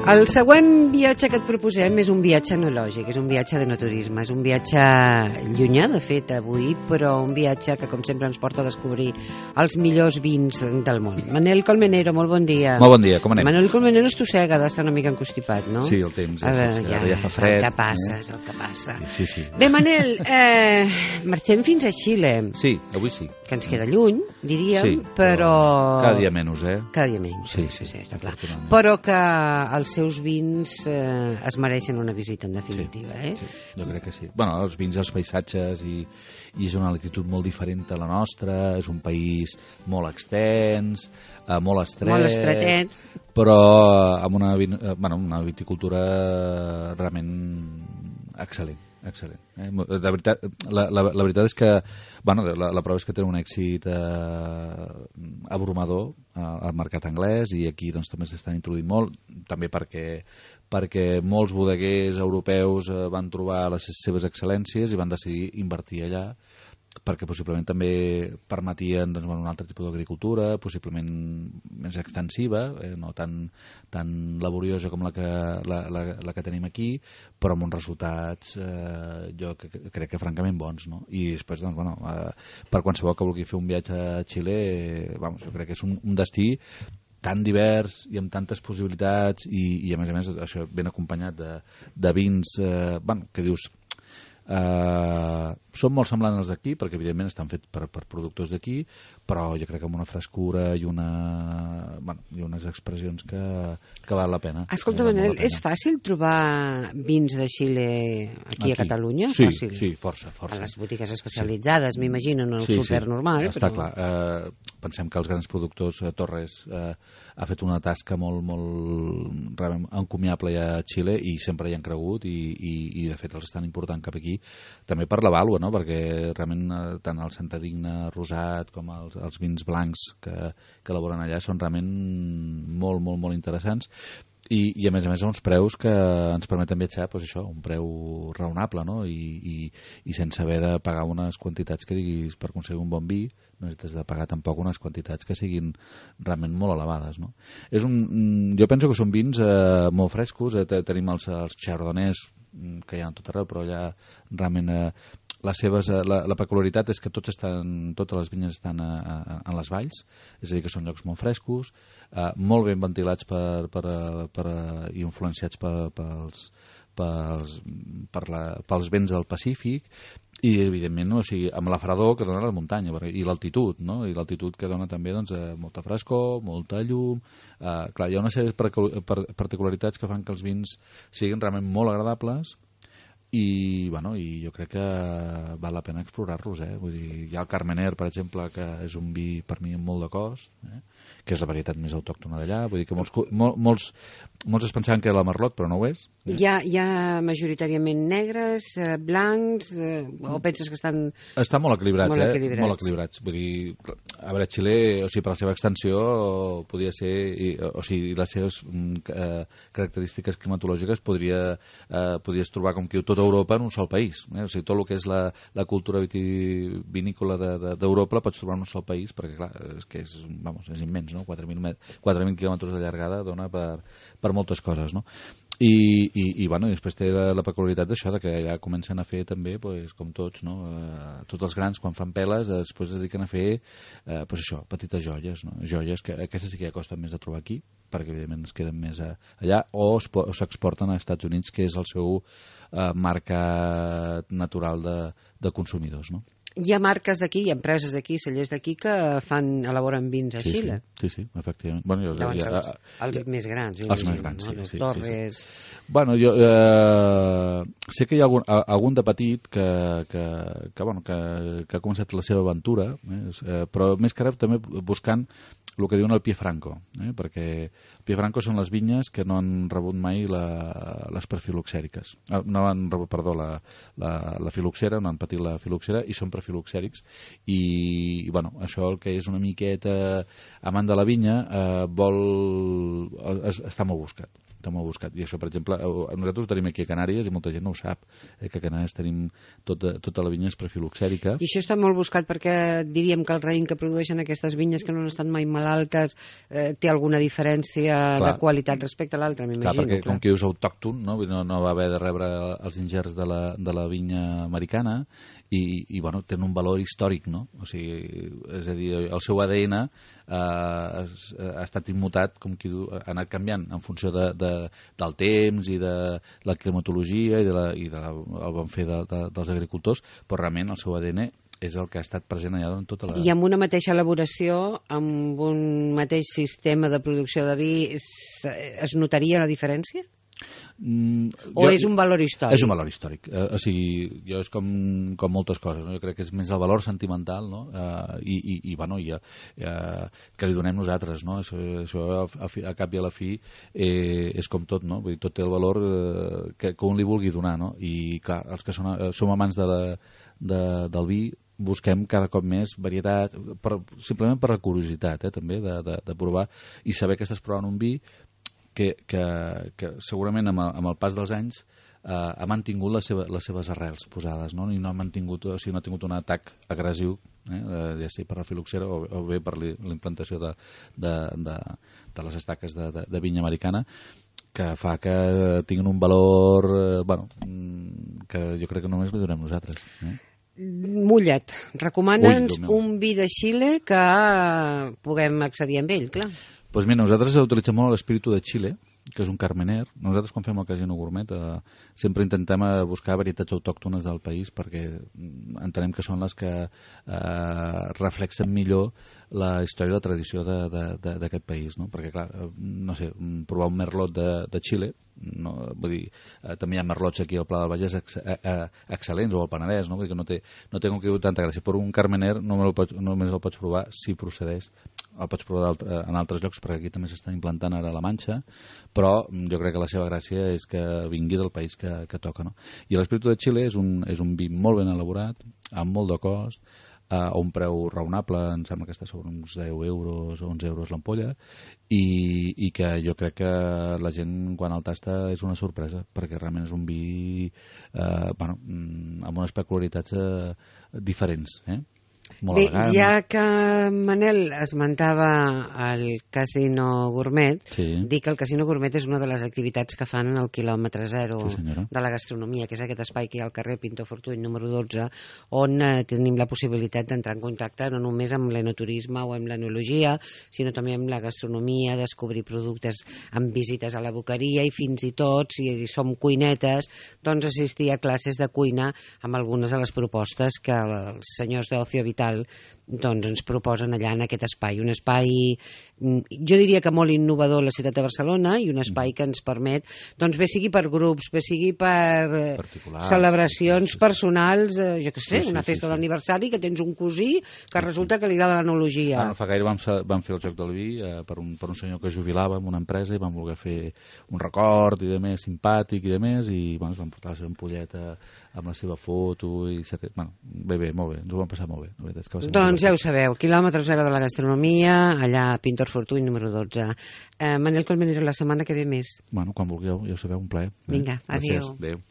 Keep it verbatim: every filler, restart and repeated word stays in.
El següent viatge que et proposem és un viatge enològic, és un viatge d'enoturisme, és un viatge llunyà, de fet, avui, però un viatge que, com sempre, ens porta a descobrir els millors vins del món. Manel Colmenero, molt bon dia. Molt bon dia, com anem? Manel Colmenero estossega d'estar una mica encostipat, no? Sí, el temps, ja, Ara, sí, ja, ara ja fa fred. El que passa, eh? és el que passa. Sí, sí. Bé, Manel, eh, marxem fins a Xile. Sí, avui sí. Que ens queda lluny, diríem, Sí, però... Cada dia menys, eh? Cada dia menys, Sí, sí, sí, sí, sí, està clar. afortunadament. Però que els seus vins eh, es mereixen una visita, en definitiva, sí, eh? Sí, jo crec que sí. Bueno, els vins, els paisatges, i, i és una altitud molt diferent a la nostra, és un país molt extens, eh, molt estret, Molt estretet. però amb una, vin- eh, bueno, una viticultura realment excel·lent. Excel·lent. Eh? De veritat, la, la, la veritat és que bueno, la, la prova és que té un èxit eh, abrumador eh, al mercat anglès, i aquí doncs, també s'estan introduint molt, també perquè, perquè molts bodeguers europeus eh, van trobar les seves excel·lències i van decidir invertir allà, perquè possiblement també permetien doncs, un altre tipus d'agricultura, possiblement més extensiva, eh, no tan, tan laboriosa com la que, la, la, la que tenim aquí, però amb uns resultats eh, jo que, que, crec que francament bons, no? I després, doncs, bueno, eh, per qualsevol que vulgui fer un viatge a Xile, eh, vamos, jo crec que és un, un destí tan divers i amb tantes possibilitats, i, i a més a més això ben acompanyat de, de vins eh, bueno, que dius Uh, són molt semblants als d'aquí, perquè evidentment estan fets per, per productors d'aquí, però jo crec que amb una frescura i una bueno, i unes expressions que, que val la pena. Escolta, eh, Manel, la pena. és fàcil trobar vins de Xile aquí, aquí. a Catalunya? Sí, fàcil. sí, força, força. A les botigues especialitzades, sí. M'imagino, en el sí, súper sí. normal. Està però... clar. Eh, pensem que els grans productors, eh, Torres eh, ha fet una tasca molt, molt realment encomiable ja a Xile, i sempre hi han cregut, i, i, i de fet els estan important cap aquí, també per la vàlua, no? Perquè realment eh, tant el Santadigne rosat com els, els vins blancs que, que elaboren allà són realment molt, molt, molt interessants. I, i a més a més a uns preus que ens permeten viatjar, doncs això, un preu raonable, no? I, i, i sense haver de pagar unes quantitats que diguis per aconseguir un bon vi, no necessites de pagar tampoc unes quantitats que siguin realment molt elevades, no? És un, jo penso que són vins eh, molt frescos, eh, tenim els, els chardonnays que hi ha tot arreu, però allà realment eh, les seves, la, la peculiaritat és que tots estan, totes les vinyes estan a, a, en les valls, és a dir, que són llocs molt frescos, eh, molt ben ventilats per, per, per, i influenciats per, pels, pels, per la, pels vents del Pacífic, i evidentment, no? O sigui, amb la fredor que dona la muntanya, i l'altitud, no? I l'altitud que dona també doncs, eh, molta frescor, molta llum, eh, clar, hi ha una sèrie de particularitats que fan que els vins siguin realment molt agradables, i, bueno, i jo crec que val la pena explorar-los, eh? Vull dir, hi ha el Carmener, per exemple, que és un vi per mi amb molt de cost, eh? Que és la varietat més autòctona d'allà, vull dir que molts, mol, molts, molts es pensaven que era la Merlot, però no ho és. Eh? Hi ha, hi ha majoritàriament negres, eh, blancs, eh, o penses que estan... Estan molt equilibrats, molt eh? equilibrats. Molt equilibrats. Vull dir, a veure, Xile, o sigui, per la seva extensió, podia ser, i, o sigui, les seves eh, característiques climatològiques podria, eh, podries trobar com que tota Europa en un sol país. Eh? O sigui, tot el que és la, la cultura vitivinícola d'Europa de, de, la pots trobar en un sol país, perquè, clar, és que és, vamos, és immens, no? quatre mil quilòmetres de llargada dona per, per moltes coses, no? I, i, i, bueno, i després té la, la peculiaritat d'això, de que ja comencen a fer també, pues, com tots, no? Eh, tots els grans, quan fan peles, després es dediquen a fer eh, pues això, petites joies, no? Joies que aquestes sí que ja costen més de trobar aquí, perquè evidentment es queden més a, allà, o s'exporten als Estats Units, que és el seu eh, mercat natural de, de consumidors, no? Hi ha marques d'aquí, hi ha empreses d'aquí, cellers d'aquí que fan, elaboren vins a sí, Xile. Sí, sí, sí, efectivament. Bueno, jo, Llavors, ja, els, els ja, més grans. Els més grans, no? sí. sí, Torres... sí, sí. Bueno, jo eh, sé que hi ha algun, algun de petit que, que, que, bueno, que, que ha començat la seva aventura, eh, però més que res també buscant el que diuen el pie franco, eh, perquè pie franco són les vinyes que no han rebut mai la, les prefiloxèriques. No han rebut, perdó, la, la, la filoxera, no han patit la filoxera, i són prefiloxèrics, i, i bueno, això el que és una miqueta amant de la vinya eh, vol, es, està molt buscat. està molt buscat. I això, per exemple, nosaltres ho tenim aquí a Canàries i molta gent no ho sap, eh, que a Canàries tenim tota, tota la vinya és prefiloxèrica. I això està molt buscat perquè diríem que el raïm que produeixen aquestes vinyes que no han estat mai malaltes eh, té alguna diferència clar, de qualitat respecte a l'altre, m'imagino. Clar, perquè clar. Com que és autòcton, no? No, no va haver de rebre els ingerts de la, de la vinya americana i, i bueno, tenen un valor històric, no? O sigui, és a dir, el seu A D N eh, ha estat immutat, com qui diu, ha anat canviant en funció de, de, del temps i de la climatologia i, de la, i de la, el bon fer de, de, dels agricultors, però realment el seu A D N és el que ha estat present allà en tota la... I amb una mateixa elaboració, amb un mateix sistema de producció de vi, es, es notaria la diferència? Mm, o jo, és un valor històric? És un valor històric. Eh, o sigui, jo és com, com moltes coses, no? Jo crec que és més el valor sentimental, no? Eh, i, i, i, bueno, i, eh, que li donem nosaltres, no? Això, això a, a cap i a la fi eh, és com tot, no? Vull dir, tot té el valor eh, que, que un li vulgui donar, no? I clar, els que són, eh, som amants de la, de, del vi busquem cada cop més varietat, per, simplement per la curiositat, eh, també, de, de, de provar i saber que estàs provant un vi que, que, que segurament amb el, amb el pas dels anys eh, ha mantingut les, seva, les seves arrels posades, no? I no ha mantingut, o sigui, no ha tingut un atac agressiu, eh, ja sigui per la filoxera o, o bé per la implantació de, de, de, de les estaques de, de, de vinya americana, que fa que tinguin un valor eh, bueno, que jo crec que només li donem nosaltres. Eh? Mullet, recomana'ns un vi de Xile que puguem accedir amb ell, clar. Doncs pues mira, nosaltres utilitzem molt l'espíritu de Xile, que és un carmener. Nosaltres quan fem el Casino Gourmet eh, sempre intentem buscar varietats autòctones del país perquè entenem que són les que eh, reflexen millor la història i la tradició d'aquest país, no? Perquè clar, no sé, provar un merlot de, de Xile, no, vull dir, eh, també hi ha merlots aquí al Pla del Vallès ex, eh, eh, excel·lents, o al Penedès, no? Vull dir que no té, no té com que diu tanta gràcia, però un carmener només el pots, només el pots provar si procedeix, el pots provar en altres llocs perquè aquí també s'estan implantant ara a la Manxa, però jo crec que la seva gràcia és que vingui del país que, que toca, no? I l'Espíritu de Xile és un, és un vi molt ben elaborat, amb molt de cost, a un preu raonable, em sembla que està sobre uns deu euros o onze euros l'ampolla, i, i que jo crec que la gent quan el tasta és una sorpresa, perquè realment és un vi eh, bueno, amb unes peculiaritats eh, diferents, eh? Molt Bé, elegant. ja que Manel esmentava el Casino Gourmet, sí. Dic que el Casino Gourmet és una de les activitats que fan en el quilòmetre zero sí, de la gastronomia, que és aquest espai que hi ha al carrer Pintor Fortuny número dotze, on eh, tenim la possibilitat d'entrar en contacte no només amb l'enoturisme o amb l'enologia, sinó també amb la gastronomia, descobrir productes amb visites a la boqueria i fins i tot, si som cuinetes, doncs assistir a classes de cuina amb algunes de les propostes que els senyors d'Ocio Vital doncs ens proposen allà en aquest espai, un espai jo diria que molt innovador a la ciutat de Barcelona i un espai que ens permet doncs bé sigui per grups, bé sigui per celebracions sí, sí. personals, eh, jo què sé, sí, sí, una festa sí, sí. d'aniversari que tens un cosí que resulta que li agrada l'enologia. Ah, no fa gaire vam, vam fer el Joc del Vi eh, per, un, per un senyor que jubilava en una empresa i vam voler fer un record i de més simpàtic i de més i bueno, ens vam portar la seva ampolleta amb la seva foto i bueno, bé, bé, molt bé, ens ho vam passar molt bé. Doncs ja ho sabeu, quilòmetre zero de la gastronomia, allà a Pintor Fortuny número dotze. Eh, Manel Colmenero, la setmana que ve més. Bueno, quan vulgueu, ja ho sabeu, un plaer. Vinga, adéu. Gràcies, adéu.